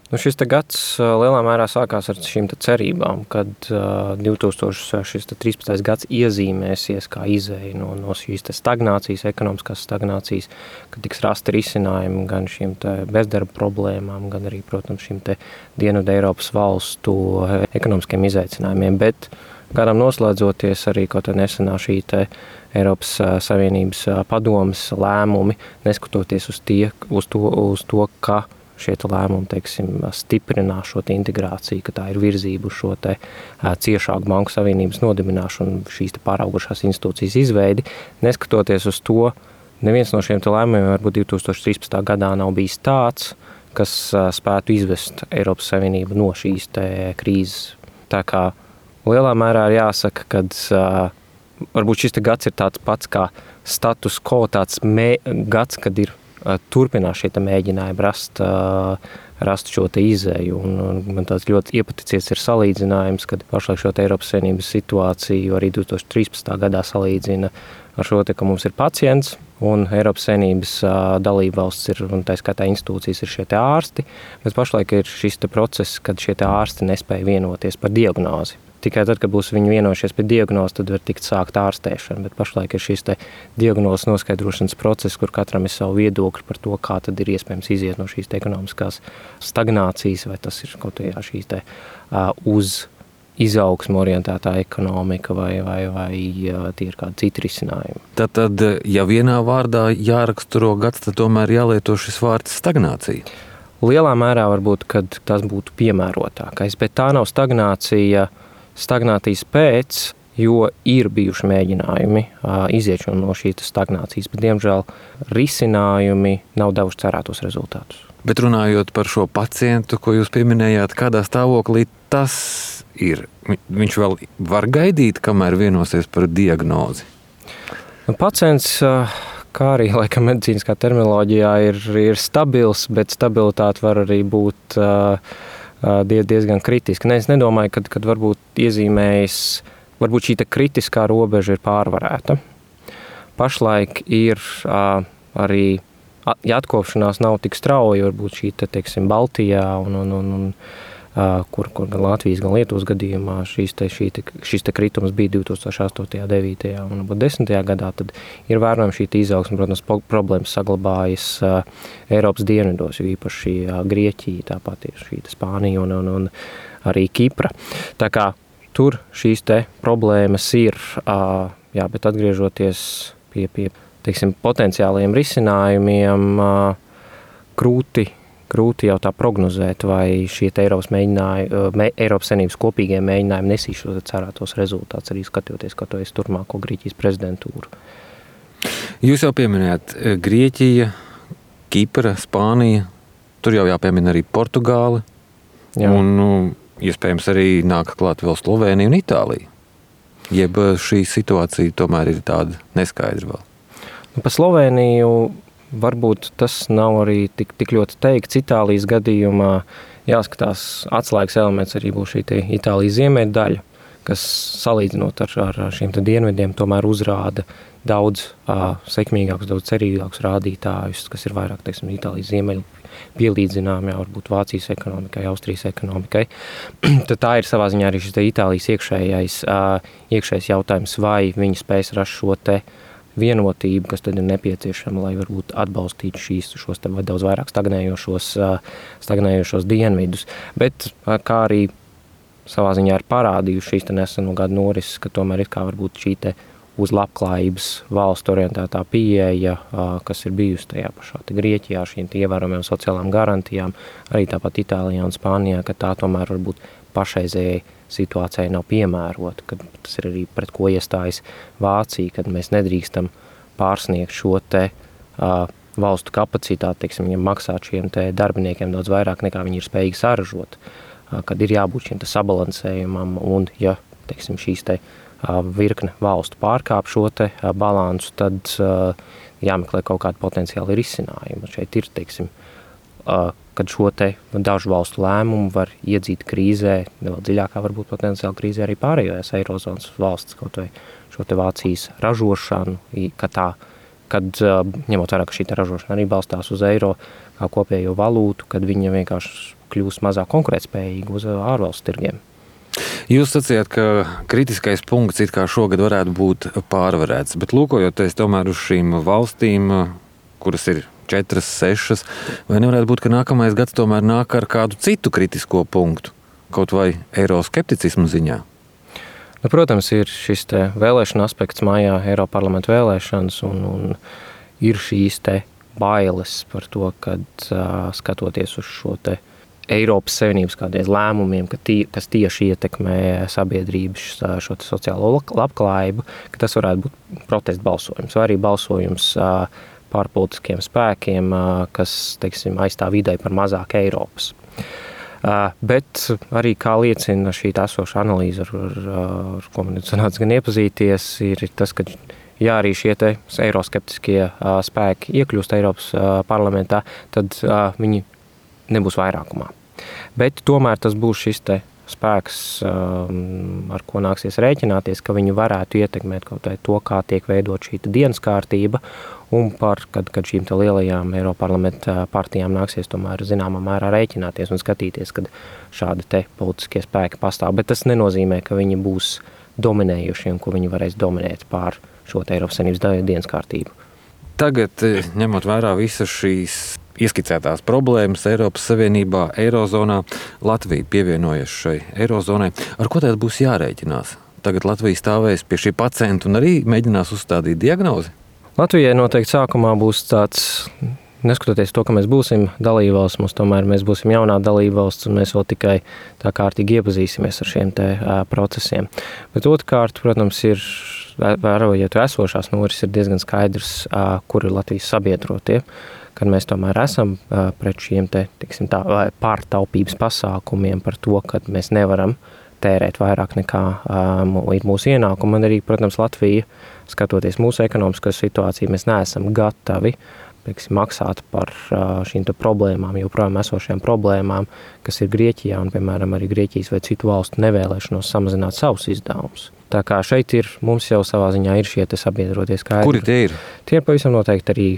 Šis te gads lielā mērā sākās ar šīm cerībām, kad 2013. gads iezīmēsies kā izēja no šīs stagnācijas, ekonomiskās stagnācijas, kad tiks rasti risinājumi gan šīm bezdarba problēmām, gan arī, protams, šīm Dienvidu Eiropas valstu ekonomiskiem izaicinājumiem, bet gadam noslēdzoties arī kaut nesenā šī Eiropas Savienības padomes lēmumi, neskatoties uz to, ka šie lēmumi, stiprinās šo integrāciju, ka tā ir virzība uz šo ciešāku banku savienības nodibināšanu, šīs pāraugušās institūcijas izveidi. Neskatoties uz to, neviens no šiem lēmumiem varbūt 2013. gadā nav bijis tāds, kas spētu izvest Eiropas Savienību no šīs krīzes. Tā kā lielā mērā ir jāsaka, kad varbūt šis gads ir tāds pats kā status quo, tāds gads, kad ir turpinās šie mēģinājumi rast šo izēju. Un man tāds ļoti iepaticies ir salīdzinājums, kad pašlaik šo Eiropas Savienības situāciju arī 2013. gadā salīdzina ar šo, ka mums ir pacients un Eiropas Savienības dalībvalsts ir, un tā skaitā institūcijas ir šie ārsti, bet pašlaik ir šis process, kad šie ārsti nespēja vienoties par diagnozi. Tikai tad, kad būs viņi vienojušies par diagnozi, tad var tikt sākt ārstēšana, bet pašlaik ir šis diagnozes noskaidrošanas process, kur katram ir savu viedokli par to, kā tad ir iespējams iziet no šīs ekonomiskās stagnācijas, vai tas ir kaut kā šīs uz izaugsmu orientētā ekonomika vai tie ir kādi citi risinājumi. Tad, ja vienā vārdā jāraksturo gads, tad tomēr jālieto šis vārds stagnācija. Lielā mērā varbūt, kad tas būtu piemērotākais, bet tā nav stagnācijas pēc, jo ir bijuši mēģinājumi iziet no šīs stagnācijas, bet diemžēl risinājumi nav devuši cerētos rezultātus. Bet runājot par šo pacientu, ko jūs pieminējāt, kādā stāvoklī tas ir? Viņš vēl var gaidīt, kamēr vienosies par diagnozi? Pacients, kā arī laikam medicīniskā terminoloģijā, ir stabils, bet stabilitāte var arī būt diezgan kritiska. Es nedomāju, kad varbūt iezīmējas, varbūt šī kritiskā robeža ir pārvarēta. Pašlaik ir arī, ja atkopšanās nav tik strauja, varbūt šī Baltijā un kur gan Latvijas, gan Lietuvas gadījumā šis kritums bija 2008., 9. un 10. gadā, tad ir vērojama šī izaugsme, protams, problēmas saglabājas Eiropas dienvidos, jo īpaši Grieķija, tāpat ir šī Spānija un arī Kipra. Tā kā tur šīs problēmas ir, bet atgriežoties pie potenciālajiem risinājumiem, grūti jau tā prognozēt, vai šie Eiropas Savienības kopīgie mēģinājumi nesīs šo cerētos rezultātus, arī skatoties, kā to es turpmāko Grieķijas prezidentūru. Jūs jau pieminējāt Grieķija, Kipra, Spānija, tur jau jāpiemina arī Portugāli, un iespējams arī nāk klāt vēl Slovēnija un Itālija. Jeb šī situācija tomēr ir tāda neskaidra vēl. Pa Slovēniju varbūt tas nav arī tik ļoti teikts. Itālijas gadījumā jāskatās atslēgas elements arī būs šī Itālijas ziemeļu daļa, kas salīdzinot ar šiem dienvidiem tomēr uzrāda daudz sekmīgākus, daudz cerīgākus rādītājus, kas ir vairāk, Itālijas ziemeļu pielīdzinām, varbūt Vācijas ekonomikai, Austrijas ekonomikai. Tad tā ir savā ziņā arī šis Itālijas iekšējais jautājums, vai viņi spēs rast šo vienotību, kas tad ir nepieciešama, lai varbūt atbalstītu šos daudz vairāk stagnējošos dienvidus. Bet kā arī savā ziņā ir parādījuši šīs neseno gadu norises, ka tomēr ir kā varbūt šī uz labklājības valstu orientētā pieeja, kas ir bijusi tajā pašā Grieķijā, šīm ievērojamām sociālām garantijām, arī tāpat Itālijā un Spānijā, ka tā tomēr varbūt pašreizējai situācijai nav piemērota, kad tas ir arī pret ko iestājas Vācija, kad mēs nedrīkstam pārsniegt šo valstu kapacitāti, viņiem maksāt šiem darbiniekiem daudz vairāk nekā viņi ir spējīgi saražot, kad ir jābūt šim sabalansējumam un, ja šīs virkne valstu pārkāp šo balansu, tad jāmeklē kaut kādi potenciāli risinājumi. Šeit ir, kad šo dažu valstu lēmumu var iedzīt krīzē, vēl dziļākā varbūt potenciāli krīzē arī pārējās Eirozonas valsts, kaut vai šo Vācijas ražošanu, kad ņemot vērā, ka šī ražošana arī balstās uz eiro kā kopējo valūtu, kad viņa vienkārši kļūs mazāk konkurētspējīga uz ārvalstu tirgiem. Jūs sacījāt, ka kritiskais punkts it kā šogad varētu būt pārvarēts, bet lūkojoties tomēr uz šīm valstīm, kuras ir 4, 6, vai nevarētu būt, ka nākamais gads tomēr nāk ar kādu citu kritisko punktu, kaut vai eiroskepticismu ziņā? Nu, protams, ir šis te vēlēšana aspekts mājā, Eiroparlamenta vēlēšanas, un ir šīs te bailes par to, kad skatoties uz šo te Eiropas Savienības kādreiz lēmumiem, kas tieši ietekmē sabiedrības šo sociālo labklājību, ka tas varētu būt protesta balsojums vai arī balsojums par politiskiem spēkiem, kas, teiksim, aizstāv ideju par mazāk Eiropas. Bet arī, kā liecina šī esošā analīze, ar ko man sanāca gan iepazīties, ir tas, ka ja arī šie te eiroskeptiskie spēki iekļūst Eiropas parlamentā, tad viņi nebūs vairākumā. Bet tomēr tas būs šis te spēks, ar ko nāksies rēķināties, ka viņi varētu ietekmēt kaut vai to, kā tiek veidot šī dienas kārtība, un kad šīm te lielajām Eiroparlamenta partijām nāksies tomēr zināmā mērā rēķināties un skatīties, kad šādi te politiskie spēki pastāv. Bet tas nenozīmē, ka viņi būs dominējuši un ko viņi varēs dominēt pār šo te Eiropas Savienības dienas kārtību. Tagad, ņemot vērā visas šīs ieskicētās problēmas Eiropas Savienībā, Eirozonā, Latvija pievienojas šai Eirozonai. Ar ko tad būs jārēķinās? Tagad Latvija stāvēs pie šī pacienta un arī mēģinās uzstādīt diagnozi? Latvijai noteikti sākumā būs tāds, neskatoties to, ka mēs būsim dalībvalsts, mēs būsim jaunā dalībvalsts un mēs vēl tikai tā kārtīgi iepazīsimies ar šiem te procesiem. Bet otrkārt, protams, ir, vērojot esošās norises, ir diezgan skaidrs, kur ir Latvijas sabiedrotie, kad mēs tomēr esam pret šiem te, tiksim tā, pārtaupības pasākumiem par to, ka mēs nevaram tērēt vairāk nekā ir mūsu ienākumi. Un arī, protams, Latvija, skatoties mūsu ekonomisko situāciju, mēs neesam gatavi maksāt par šīm problēmām, joprojām esošajām problēmām, kas ir Grieķijā un, piemēram, arī Grieķijas vai citu valstu nevēlēšanos samazināt savus izdevumus. Tā kā šeit mums jau savā ziņā ir šie sabiedrotie skaidri. Kuri tie ir? Tie ir pavisam noteikti arī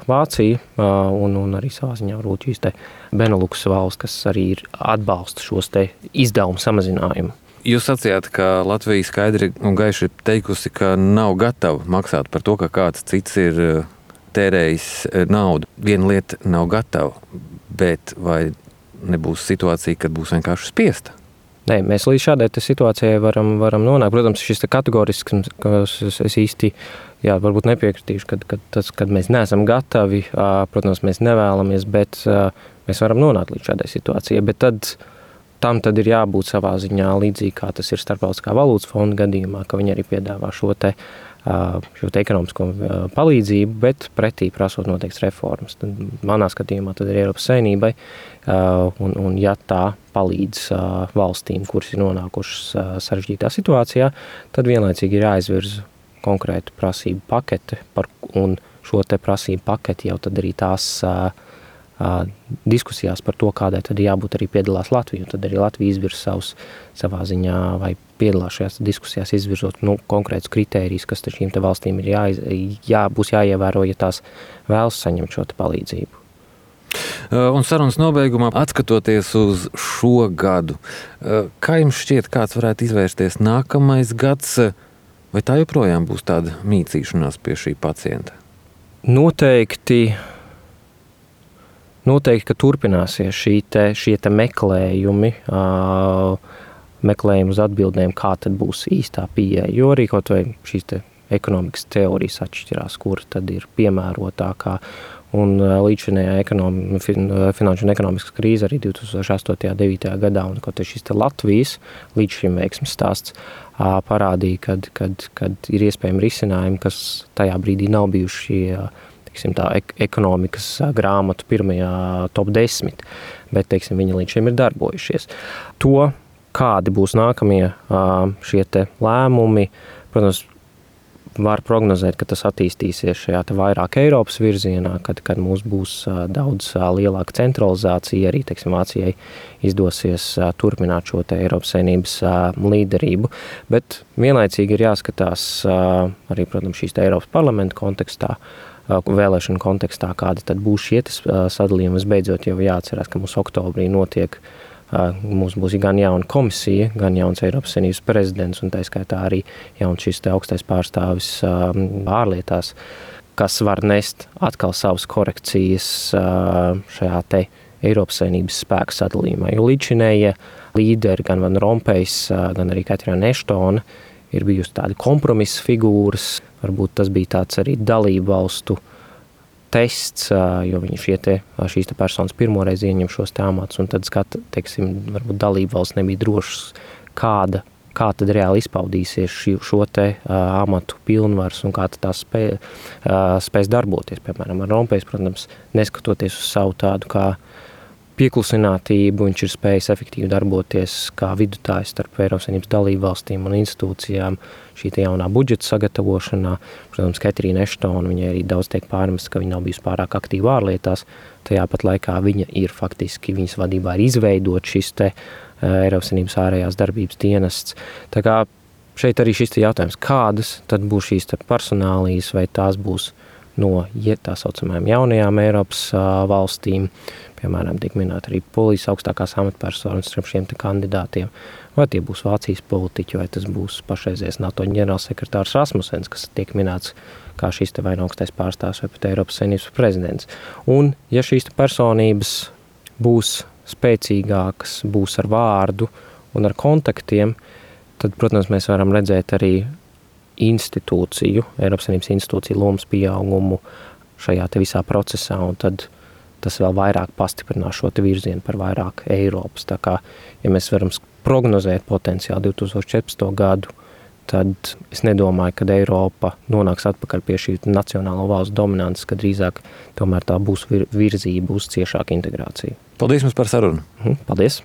Vācija un arī savā ziņā varbūt šīs Benelux valsts, kas arī atbalsta šos izdevumu samazinājumu. Jūs sacījāt, ka Latvija skaidri un gaiši ir teikusi, ka nav gatava maksāt par to, ka kāds cits ir tērējis naudu. Viena lieta nav gatava, bet vai nebūs situācija, kad būs vienkārši spiesta? Nē, mēs līdz šādai situācijai varam nonākt. Protams, šis kategorisks, kas es īsti varbūt nepiekritīšu, kad mēs neesam gatavi, protams, mēs nevēlamies, bet mēs varam nonākt līdz šādai situācijai. Bet tam ir jābūt savā ziņā līdzīgi, kā tas ir Starptautiskā valūtas fonda gadījumā, ka viņi arī piedāvā šo ekonomisko palīdzību, bet pretī prasot noteikts reformas. Tad, manā skatījumā tad ir Eiropas Savienībai, un ja tā palīdz valstīm, kuras ir nonākušas sarežģītā situācijā, tad vienlaicīgi ir jāizvirza konkrētu prasību pakete, un šo te prasību paketi jau tad arī tās diskusijās par to, kādai tad jābūt arī piedalās Latvija, un tad arī Latvija izvirza savā ziņā vai piedalās šajās diskusijās izvirzot konkrētus kritērijus, kas šīm te valstīm ir būs jāievēro, ja tās vēlas saņemt šo te palīdzību. Un sarunas nobeigumā, atskatoties uz šo gadu, kā jums šķiet, kāds varētu izvērsties nākamais gads, vai tā joprojām būs tāda mīcīšanās pie šī pacienta? Noteikti, ka turpināsies šie meklējumi, meklējumi uz atbildēm, kā tad būs īstā pieeja, jo arī kaut vai šīs ekonomikas teorijas atšķirās, kura tad ir piemērotākā. Un līdzinējā finanšu un ekonomiskas krīze arī 2008. 9. gadā, un kaut šis Latvijas līdz šim veiksmes stāsts parādīja, kad ir iespējami risinājumi, kas tajā brīdī nav bijuši tā ekonomikas grāmatu pirmajā top 10, bet viņi līdz šim ir darbojušies. To, kādi būs nākamie šie lēmumi, protams, var prognozēt, ka tas attīstīsies šajā vairāk Eiropas virzienā, kad mums būs daudz lielāka centralizācija, arī, teiksim, Vācijai izdosies turpināt šo Eiropas Savienības līderību. Bet vienlaicīgi ir jāskatās arī, protams, šīs Eiropas parlamenta kontekstā, vēlēšanu kontekstā, kāda tad būs šie sadalījumi. Visbeidzot jau jāatcerās, ka mums oktobrī notiek, mums būs gan jauna komisija, gan jauns Eiropas Savienības prezidents, un tā skaitā arī jauns šis augstais pārstāvis ārlietās, kas var nest atkal savas korekcijas šajā Eiropas Savienības spēku sadalījumā. Jo līdzinējie līderi, gan Van Rompējs, gan arī Katrīna Eštona, ir bijusi tādi kompromisa figūras. Varbūt tas bija tāds arī dalību valstu tests, jo viņi šīs personas pirmoreiz ieņem šos amatus, un tad varbūt dalību valsts nebija drošs, kā tad reāli izpaudīsies šo amatu pilnvaras un kā tās spēs darboties. Piemēram, Rompējs, protams, neskatoties uz savu tādu kā pieklusinātību, viņš ir spējis efektīvi darboties kā vidutājs starp Eiropas Savienības dalību valstīm un institūcijām šī jaunā budžeta sagatavošanā. Protams, Katrīna Eštona, viņai arī daudz tiek pārmests, ka viņa nav bijusi pārāk aktīva ārlietās. Tajā pat laikā viņa ir faktiski, viņas vadībā ir izveidot šis Eiropas Savienības ārējās darbības dienests. Tā kā šeit arī šis jautājums, kādas tad būs šīs personālijas, vai tās būs no tā saucamajām jaunajām Eiropas valstīm, piemēram, tiek minēta arī polijas augstākās amatpersonas starp šiem kandidātiem, vai tie būs Vācijas politiķi, vai tas būs pašreizies NATO ģenerālsekretārs Rasmussens, kas tiek minēts kā šīs vai no augstais pārstāvs vai pat Eiropas Savienības prezidents. Un, ja šīs personības būs spēcīgākas, būs ar vārdu un ar kontaktiem, tad, protams, mēs varam redzēt arī Eiropas Savienības institūciju lomas pieaugumu šajā visā procesā, un tad tas vēl vairāk pastiprinās šo virzienu par vairāk Eiropas. Tā kā, ja mēs varam prognozēt potenciāli 2014. gadu, tad es nedomāju, ka Eiropa nonāks atpakaļ pie šī nacionālo valstu dominances, ka drīzāk tomēr tā būs virzība uz ciešāku integrāciju. Paldies jums par sarunu. Paldies!